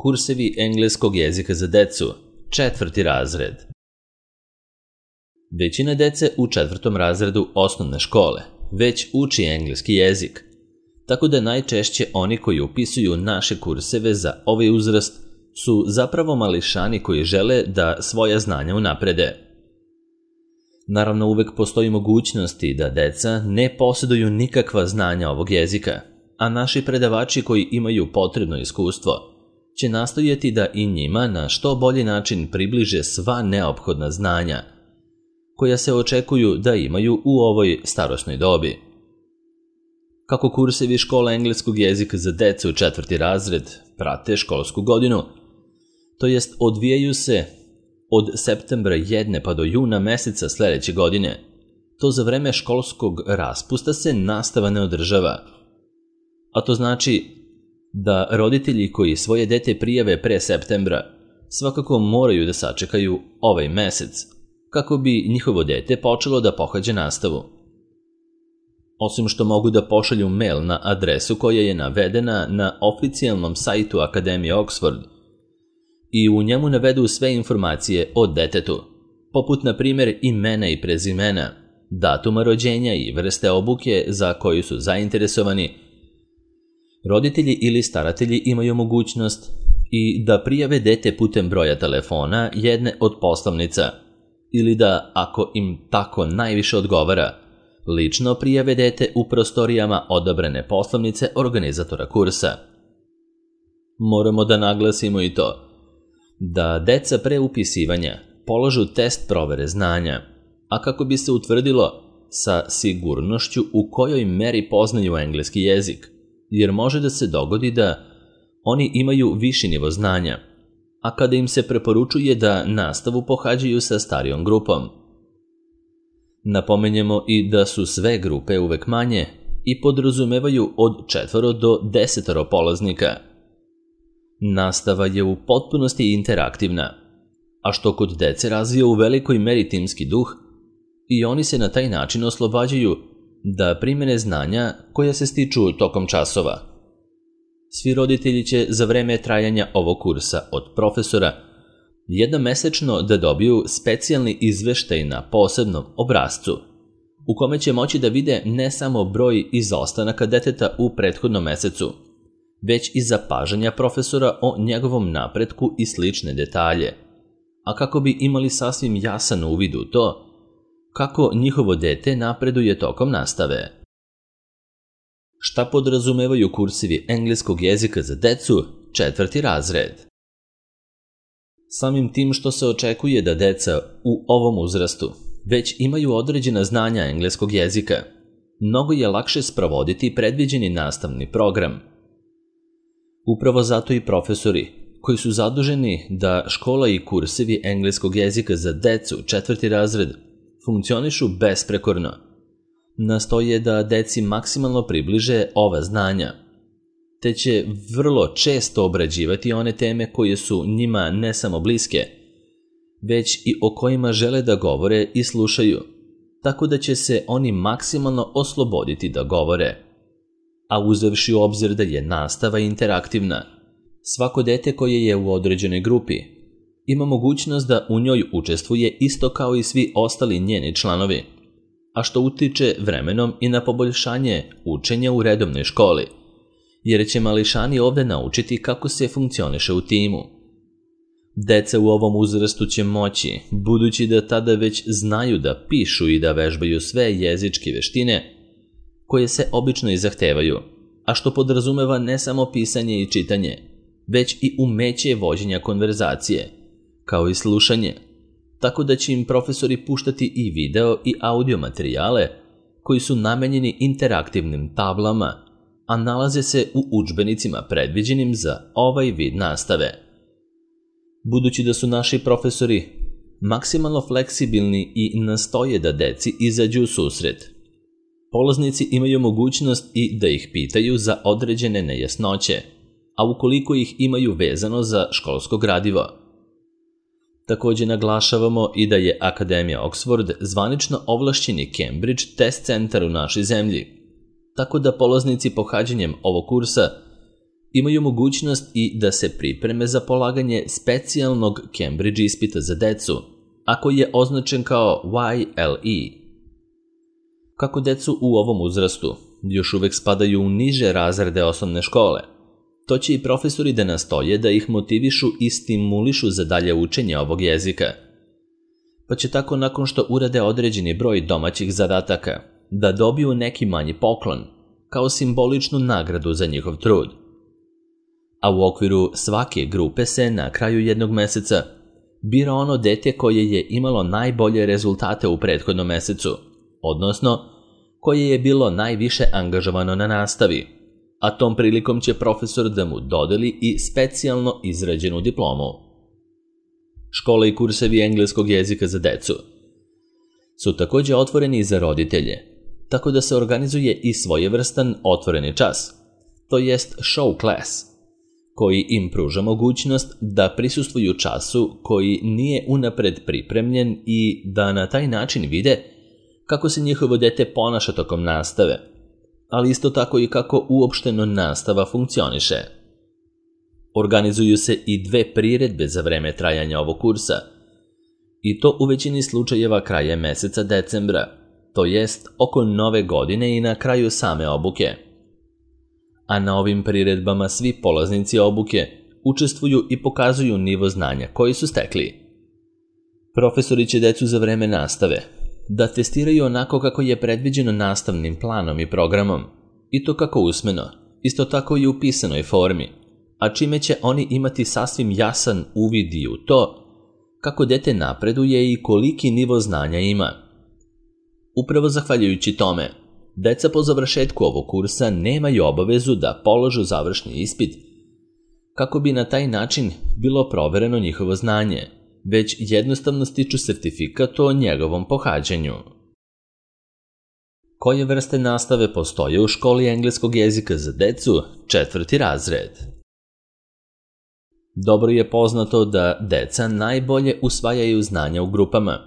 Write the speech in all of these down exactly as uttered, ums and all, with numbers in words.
Kursevi engleskog jezika za decu, četvrti razred. Većina dece u četvrtom razredu osnovne škole već uči engleski jezik, tako da najčešće oni koji upisuju naše kurseve za ovaj uzrast su zapravo mališani koji žele da svoja znanja unaprede. Naravno, uvek postoji mogućnosti da deca ne posjeduju nikakva znanja ovog jezika, a naši predavači koji imaju potrebno iskustvo će nastojati da i njima na što bolji način približe sva neophodna znanja koja se očekuju da imaju u ovoj starosnoj dobi. Kako kursevi škola engleskog jezika za decu u četvrti razred prate školsku godinu, to jest odvijaju se od septembra jedne pa do juna meseca sledeće godine, to za vreme školskog raspusta se nastava ne održava. A to znači da roditelji koji svoje dete prijave pre septembra svakako moraju da sačekaju ovaj mesec, kako bi njihovo dete počelo da pohađa nastavu. Osim što mogu da pošalju mail na adresu koja je navedena na oficijalnom sajtu Akademije Oxford i u njemu navedu sve informacije o detetu, poput na primjer imena i prezimena, datuma rođenja i vrste obuke za koju su zainteresovani, roditelji ili staratelji imaju mogućnost i da prijave dete putem broja telefona jedne od poslovnica ili da, ako im tako najviše odgovara, lično prijave dete u prostorijama odabrane poslovnice organizatora kursa. Moramo da naglasimo i to da deca pre upisivanja polažu test provere znanja, a kako bi se utvrdilo sa sigurnošću u kojoj meri poznaju engleski jezik, jer može da se dogodi da oni imaju viši nivo znanja, a kada im se preporučuje da nastavu pohađaju sa starijom grupom. Napomenjemo i da su sve grupe uvek manje i podrazumevaju od četvoro do desetoro polaznika. Nastava je u potpunosti interaktivna, a što kod dece razvija u velikoj meri timski duh i oni se na taj način oslobađaju da primene znanja koja se stiču tokom časova. Svi roditelji će za vreme trajanja ovog kursa od profesora jednom mesečno da dobiju specijalni izveštaj na posebnom obrascu, u kome će moći da vide ne samo broj izostanaka deteta u prethodnom mesecu, već i zapažanja profesora o njegovom napretku i slične detalje, a kako bi imali sasvim jasan uvid u to kako njihovo dete napreduje tokom nastave. Šta podrazumevaju kursevi engleskog jezika za decu, četvrti razred? Samim tim što se očekuje da deca u ovom uzrastu već imaju određena znanja engleskog jezika, mnogo je lakše sprovoditi predviđeni nastavni program. Upravo zato i profesori, koji su zaduženi da škola i kursevi engleskog jezika za decu, četvrti razred, funkcionišu besprekorno, nastoje da deci maksimalno približe ova znanja, te će vrlo često obrađivati one teme koje su njima ne samo bliske, već i o kojima žele da govore i slušaju, tako da će se oni maksimalno osloboditi da govore. A uzevši u obzir da je nastava interaktivna, svako dete koje je u određenoj grupi ima mogućnost da u njoj učestvuje isto kao i svi ostali njeni članovi, a što utiče vremenom i na poboljšanje učenja u redovnoj školi, jer će mališani ovde naučiti kako se funkcioniše u timu. Deca u ovom uzrastu će moći, budući da tada već znaju da pišu i da vežbaju sve jezičke veštine koje se obično i zahtevaju, a što podrazumeva ne samo pisanje i čitanje, već i umeće vođenja konverzacije, kao i slušanje, tako da će im profesori puštati i video i audio materijale koji su namenjeni interaktivnim tablama, a nalaze se u udžbenicima predviđenim za ovaj vid nastave. Budući da su naši profesori maksimalno fleksibilni i nastoje da deci izađu u susret, polaznici imaju mogućnost i da ih pitaju za određene nejasnoće, a ukoliko ih imaju vezano za školsko gradivo. Također naglašavamo i da je Akademija Oxford zvanično ovlašćeni Cambridge test centar u našoj zemlji, tako da polaznici pohađanjem ovog kursa imaju mogućnost i da se pripreme za polaganje specijalnog Cambridge ispita za decu, a koji je označen kao Y L E. Kako decu u ovom uzrastu još uvek spadaju u niže razrede osnovne škole, to će i profesori da nastoje da ih motivišu i stimulišu za dalje učenje ovog jezika. Pa će tako nakon što urade određeni broj domaćih zadataka da dobiju neki manji poklon, kao simboličnu nagradu za njihov trud. A u okviru svake grupe se na kraju jednog meseca bira ono dete koje je imalo najbolje rezultate u prethodnom mesecu, odnosno koje je bilo najviše angažovano na nastavi, a tom prilikom će profesor da mu dodeli i specijalno izrađenu diplomu. Škole i kursevi engleskog jezika za decu su također otvoreni i za roditelje, tako da se organizuje i svojevrstan otvoreni čas, to jest show class, koji im pruža mogućnost da prisustvuju času koji nije unapred pripremljen i da na taj način vide kako se njihovo dete ponaša tokom nastave, ali isto tako i kako uopšteno nastava funkcioniše. Organizuju se i dve priredbe za vreme trajanja ovog kursa, i to u većini slučajeva krajem meseca decembra, to jest oko nove godine i na kraju same obuke. A na ovim priredbama svi polaznici obuke učestvuju i pokazuju nivo znanja koji su stekli. Profesori će decu za vreme nastave da testiraju onako kako je predviđeno nastavnim planom i programom, i to kako usmeno, isto tako i u pisanoj formi, a čime će oni imati sasvim jasan uvid i u to kako dete napreduje i koliki nivo znanja ima. Upravo zahvaljujući tome, deca po završetku ovog kursa nemaju obavezu da položu završni ispit, kako bi na taj način bilo provereno njihovo znanje, već jednostavno stiču sertifikat o njegovom pohađanju. Koje vrste nastave postoje u školi engleskog jezika za decu, četvrti razred? Dobro je poznato da deca najbolje usvajaju znanja u grupama,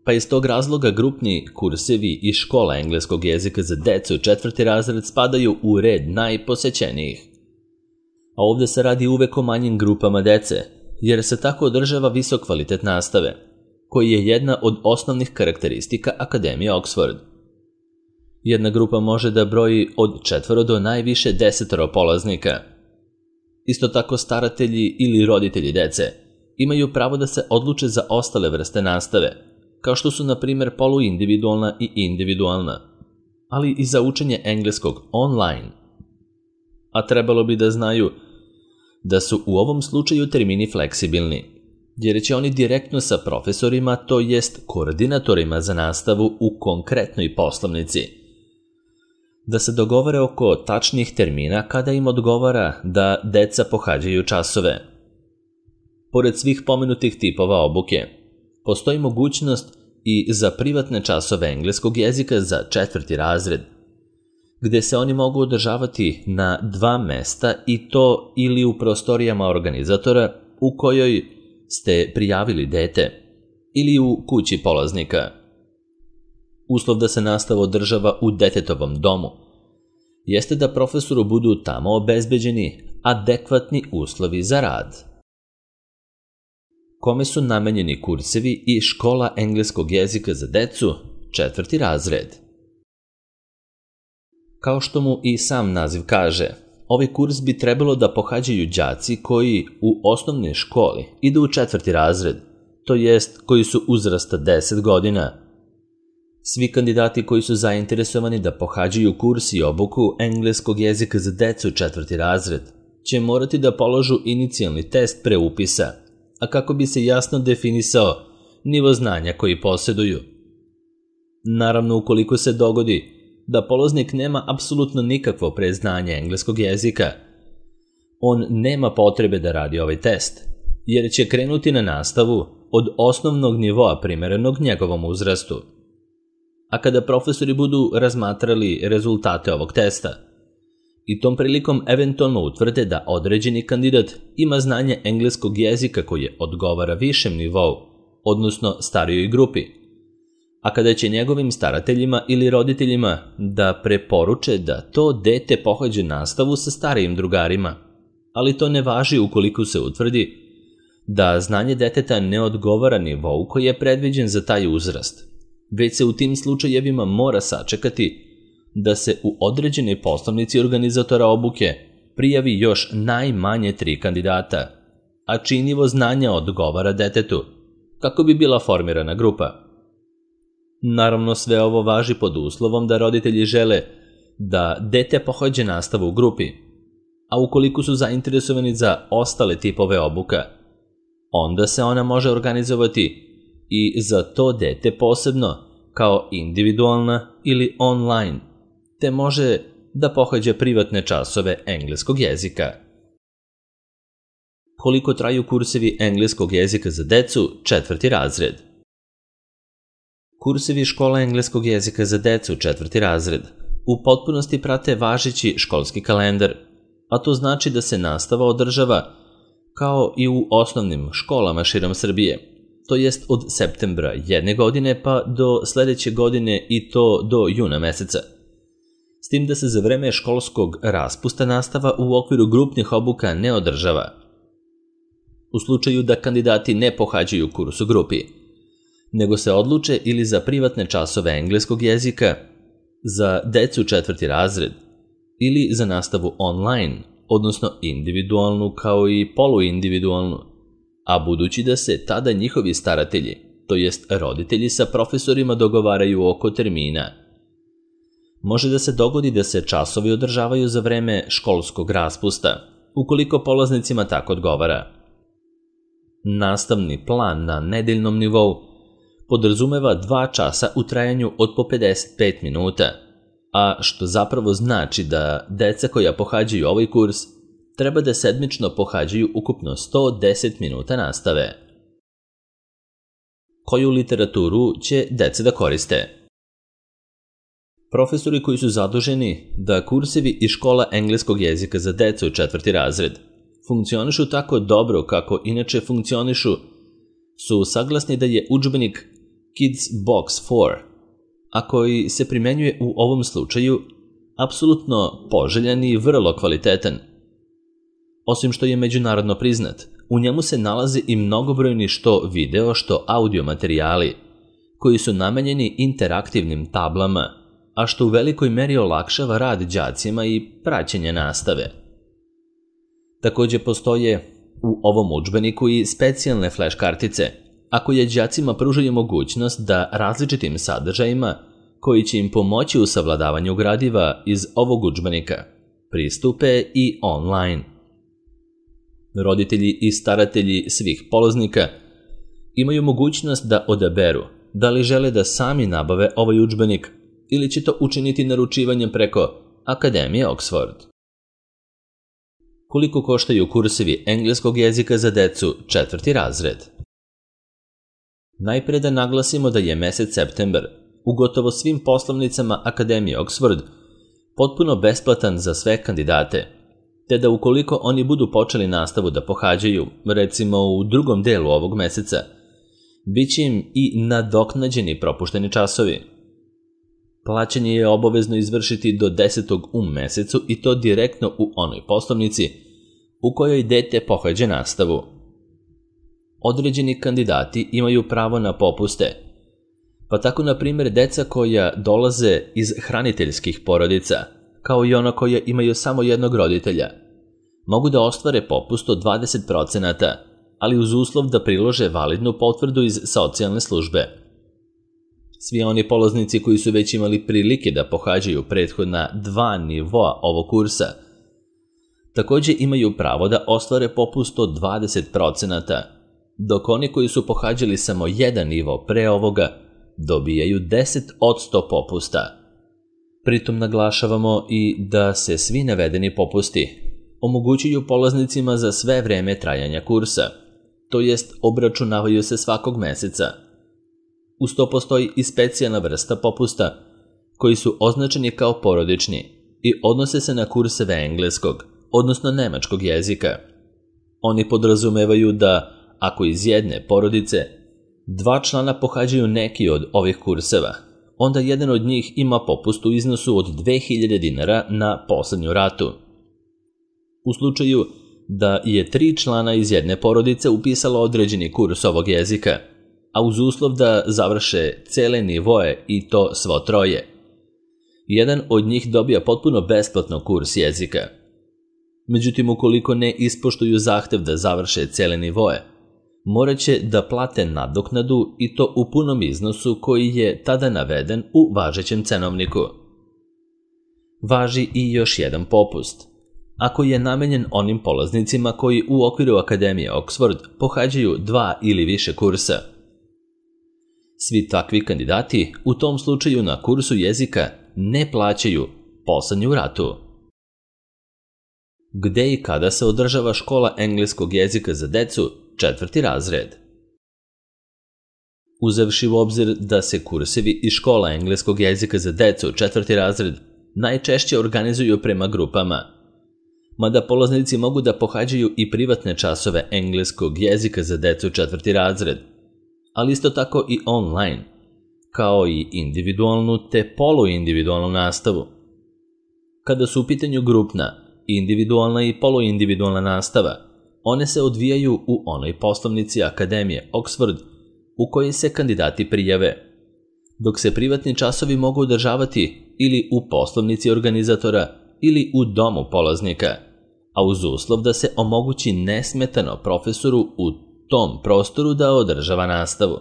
pa iz tog razloga grupni kursevi i škola engleskog jezika za decu četvrti razred spadaju u red najposećenijih. A ovdje se radi uvek o manjim grupama dece, jer se tako održava visok kvalitet nastave, koji je jedna od osnovnih karakteristika Akademije Oxford. Jedna grupa može da broji od četvoro do najviše desetoro polaznika. Isto tako staratelji ili roditelji dece imaju pravo da se odluče za ostale vrste nastave, kao što su na primjer poluindividualna i individualna, ali i za učenje engleskog online. A trebalo bi da znaju da su u ovom slučaju termini fleksibilni, jer će oni direktno sa profesorima, to jest koordinatorima za nastavu u konkretnoj poslovnici, da se dogovore oko tačnih termina kada im odgovara da deca pohađaju časove. Pored svih pomenutih tipova obuke, postoji mogućnost i za privatne časove engleskog jezika za četvrti razred, gde se oni mogu održavati na dva mesta i to ili u prostorijama organizatora u kojoj ste prijavili dete ili u kući polaznika. Uslov da se nastava održava u detetovom domu jeste da profesoru budu tamo obezbeđeni adekvatni uslovi za rad. Kome su namenjeni kursevi i škola engleskog jezika za decu, četvrti razred? Kao što mu i sam naziv kaže, ovaj kurs bi trebalo da pohađaju đaci koji u osnovnoj školi idu u četvrti razred, to jest koji su uzrasta deset godina. Svi kandidati koji su zainteresovani da pohađaju kurs i obuku engleskog jezika za decu četvrti razred će morati da položu inicijalni test pre upisa, a kako bi se jasno definisao nivo znanja koji posjeduju. Naravno, ukoliko se dogodi da polaznik nema apsolutno nikakvo predznanje engleskog jezika, on nema potrebe da radi ovaj test, jer će krenuti na nastavu od osnovnog nivoa primerenog njegovom uzrastu. A kada profesori budu razmatrali rezultate ovog testa i tom prilikom eventualno utvrde da određeni kandidat ima znanje engleskog jezika koje odgovara višem nivou, odnosno starijoj grupi, a kada će njegovim starateljima ili roditeljima da preporuče da to dete pohađe nastavu sa starijim drugarima, ali to ne važi ukoliko se utvrdi da znanje deteta ne odgovara nivou koji je predviđen za taj uzrast, već se u tim slučajevima mora sačekati da se u određenoj poslovnici organizatora obuke prijavi još najmanje tri kandidata, a čiji nivo znanja odgovara detetu, kako bi bila formirana grupa. Naravno, sve ovo važi pod uslovom da roditelji žele da dete pohađa nastavu u grupi, a ukoliko su zainteresovani za ostale tipove obuka, onda se ona može organizovati i za to dete posebno, kao individualna ili online, te može da pohađa privatne časove engleskog jezika. Koliko traju kursevi engleskog jezika za decu, četvrti razred? Kursevi škola engleskog jezika za decu, četvrti razred, u potpunosti prate važeći školski kalendar, a to znači da se nastava održava kao i u osnovnim školama širom Srbije, to jest od septembra jedne godine pa do sledeće godine i to do juna meseca. S tim da se za vreme školskog raspusta nastava u okviru grupnih obuka ne održava. U slučaju da kandidati ne pohađaju kurs u grupi, nego se odluče ili za privatne časove engleskog jezika, za decu četvrti razred, ili za nastavu online, odnosno individualnu kao i poluindividualnu, a budući da se tada njihovi staratelji, to jest roditelji sa profesorima dogovaraju oko termina, može da se dogodi da se časovi održavaju za vreme školskog raspusta, ukoliko polaznicima tako odgovara. Nastavni plan na nedeljnom nivou podrazumeva dva časa u trajanju od po pedeset pet minuta, a što zapravo znači da deca koja pohađaju ovaj kurs treba da sedmično pohađaju ukupno sto deset minuta nastave. Koju literaturu će deca da koriste? Profesori koji su zaduženi da kursevi iz škola engleskog jezika za decu četvrti razred funkcionišu tako dobro kako inače funkcionišu, su saglasni da je udžbenik Kids Box četiri, a koji se primenjuje u ovom slučaju, apsolutno poželjan i vrlo kvalitetan. Osim što je međunarodno priznat, u njemu se nalaze i mnogobrojni što video, što audio materijali, koji su namenjeni interaktivnim tablama, a što u velikoj meri olakšava rad đacima i praćenje nastave. Takođe postoje u ovom udžbeniku i specijalne flash kartice, a koje đacima pružaju mogućnost da različitim sadržajima, koji će im pomoći u savladavanju gradiva iz ovog udžbenika, pristupe i online. Roditelji i staratelji svih polaznika imaju mogućnost da odaberu da li žele da sami nabave ovaj udžbenik ili će to učiniti naručivanjem preko Akademije Oxford. Koliko koštaju kursevi engleskog jezika za decu četvrti razred? Najpre da naglasimo da je mesec septembar u gotovo svim poslovnicama Akademije Oxford potpuno besplatan za sve kandidate, te da ukoliko oni budu počeli nastavu da pohađaju, recimo u drugom delu ovog meseca, bit će im i nadoknađeni propušteni časovi. Plaćanje je obavezno izvršiti do desetog u mesecu i to direktno u onoj poslovnici u kojoj dete pohađa nastavu. Određeni kandidati imaju pravo na popuste, pa tako na primjer deca koja dolaze iz hraniteljskih porodica, kao i ona koja imaju samo jednog roditelja, mogu da ostvare popust od dvadeset procenata, ali uz uslov da prilože validnu potvrdu iz socijalne službe. Svi oni polaznici koji su već imali prilike da pohađaju prethodna dva nivoa ovog kursa, takođe imaju pravo da ostvare popust od dvadeset procenata, dok oni koji su pohađali samo jedan nivo pre ovoga dobijaju deset posto popusta. Pritom naglašavamo i da se svi navedeni popusti omogućuju polaznicima za sve vreme trajanja kursa, to jest obračunavaju se svakog meseca. Uz to postoji i specijalna vrsta popusta koji su označeni kao porodični i odnose se na kurseve engleskog, odnosno nemačkog jezika. Oni podrazumevaju da, ako iz jedne porodice dva člana pohađaju neki od ovih kurseva, onda jedan od njih ima popust u iznosu od dve hiljade dinara na poslednju ratu. U slučaju da je tri člana iz jedne porodice upisalo određeni kurs ovog jezika, a uz uslov da završe cele nivoe i to svo troje. Jedan od njih dobija potpuno besplatno kurs jezika. Međutim, ukoliko ne ispoštuju zahtev da završe cele nivoe, morat će da plate nadoknadu i to u punom iznosu koji je tada naveden u važećem cenovniku. Važi i još jedan popust. Ako je namenjen onim polaznicima koji u okviru Akademije Oxford pohađaju dva ili više kursa. Svi takvi kandidati u tom slučaju na kursu jezika ne plaćaju poslednju ratu. Gde i kada se održava škola engleskog jezika za decu, četvrti razred? Uzevši u obzir da se kursevi i škola engleskog jezika za decu, četvrti razred, najčešće organizuju prema grupama, mada polaznici mogu da pohađaju i privatne časove engleskog jezika za decu, četvrti razred, ali isto tako i online, kao i individualnu te poluindividualnu nastavu. Kada su u pitanju grupna, individualna i poluindividualna nastava, one se odvijaju u onoj poslovnici Akademije Oxford u kojoj se kandidati prijave, dok se privatni časovi mogu održavati ili u poslovnici organizatora ili u domu polaznika, a uz uslov da se omogući nesmetano profesoru u tom prostoru da održava nastavu.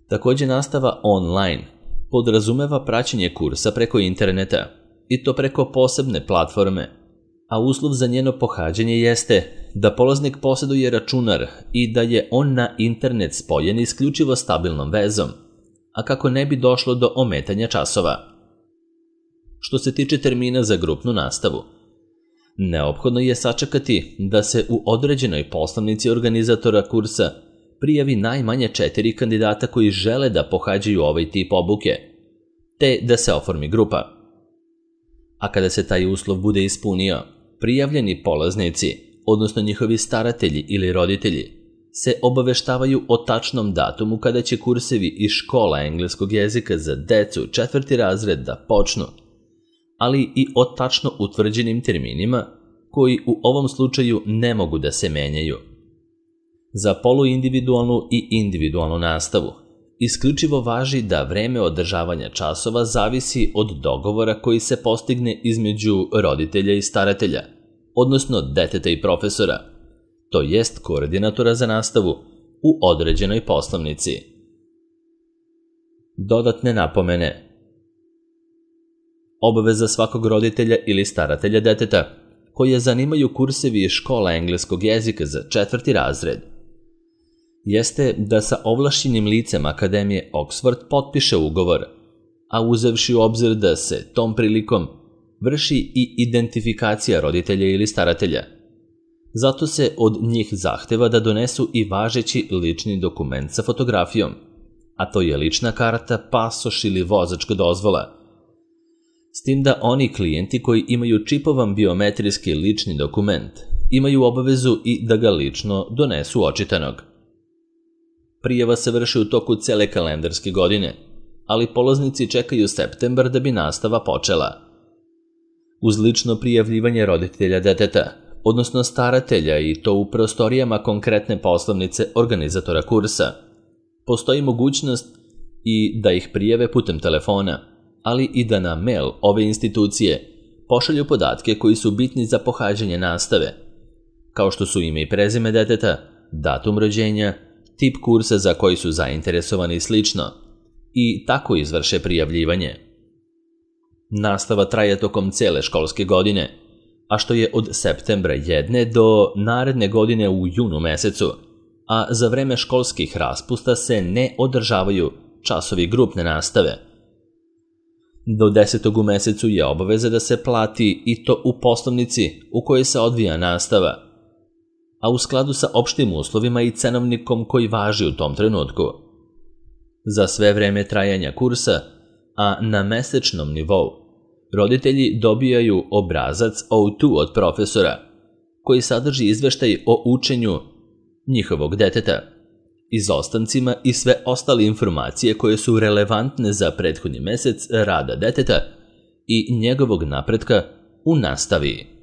Takođe, nastava online podrazumeva praćenje kursa preko interneta, i to preko posebne platforme, a uslov za njeno pohađanje jeste da polaznik poseduje računar i da je on na internet spojen isključivo stabilnom vezom, a kako ne bi došlo do ometanja časova. Što se tiče termina za grupnu nastavu, neophodno je sačekati da se u određenoj poslovnici organizatora kursa prijavi najmanje četiri kandidata koji žele da pohađaju ovaj tip obuke, te da se oformi grupa. A kada se taj uslov bude ispunio, prijavljeni polaznici, odnosno njihovi staratelji ili roditelji, se obaveštavaju o tačnom datumu kada će kursevi iz škola engleskog jezika za decu četvrti razred da počnu, ali i o tačno utvrđenim terminima koji u ovom slučaju ne mogu da se menjaju. Za poluindividualnu i individualnu nastavu isključivo važi da vreme održavanja časova zavisi od dogovora koji se postigne između roditelja i staratelja, odnosno deteta i profesora, to jest koordinatora za nastavu u određenoj poslovnici. Dodatne napomene. Obaveza svakog roditelja ili staratelja deteta koje zanimaju kursevi iz škola engleskog jezika za četvrti razred jeste da sa ovlašćenim licem Akademije Oxford potpiše ugovor, a uzevši u obzir da se tom prilikom vrši i identifikacija roditelja ili staratelja. Zato se od njih zahteva da donesu i važeći lični dokument sa fotografijom, a to je lična karta, pasoš ili vozačka dozvola. S tim da oni klijenti koji imaju čipovan biometrijski lični dokument imaju obavezu i da ga lično donesu očitanog. Prijava se vrši u toku cele kalendarske godine, ali polaznici čekaju septembar da bi nastava počela. Uz lično prijavljivanje roditelja deteta, odnosno staratelja i to u prostorijama konkretne poslovnice organizatora kursa, postoji mogućnost i da ih prijave putem telefona, ali i da na mail ove institucije pošalju podatke koji su bitni za pohađanje nastave, kao što su ime i prezime deteta, datum rođenja, tip kursa za koji su zainteresovani i slično, i tako izvrše prijavljivanje. Nastava traje tokom cele školske godine, a što je od septembra jedne do naredne godine u junu mesecu, a za vreme školskih raspusta se ne održavaju časovi grupne nastave. Do desetog u mesecu je obaveza da se plati i to u poslovnici u kojoj se odvija nastava, a u skladu sa opštim uslovima i cenovnikom koji važi u tom trenutku. Za sve vreme trajanja kursa, a na mesečnom nivou, roditelji dobijaju obrazac O dva od profesora, koji sadrži izveštaj o učenju njihovog deteta, izostancima i sve ostale informacije koje su relevantne za prethodni mesec rada deteta i njegovog napretka u nastavi.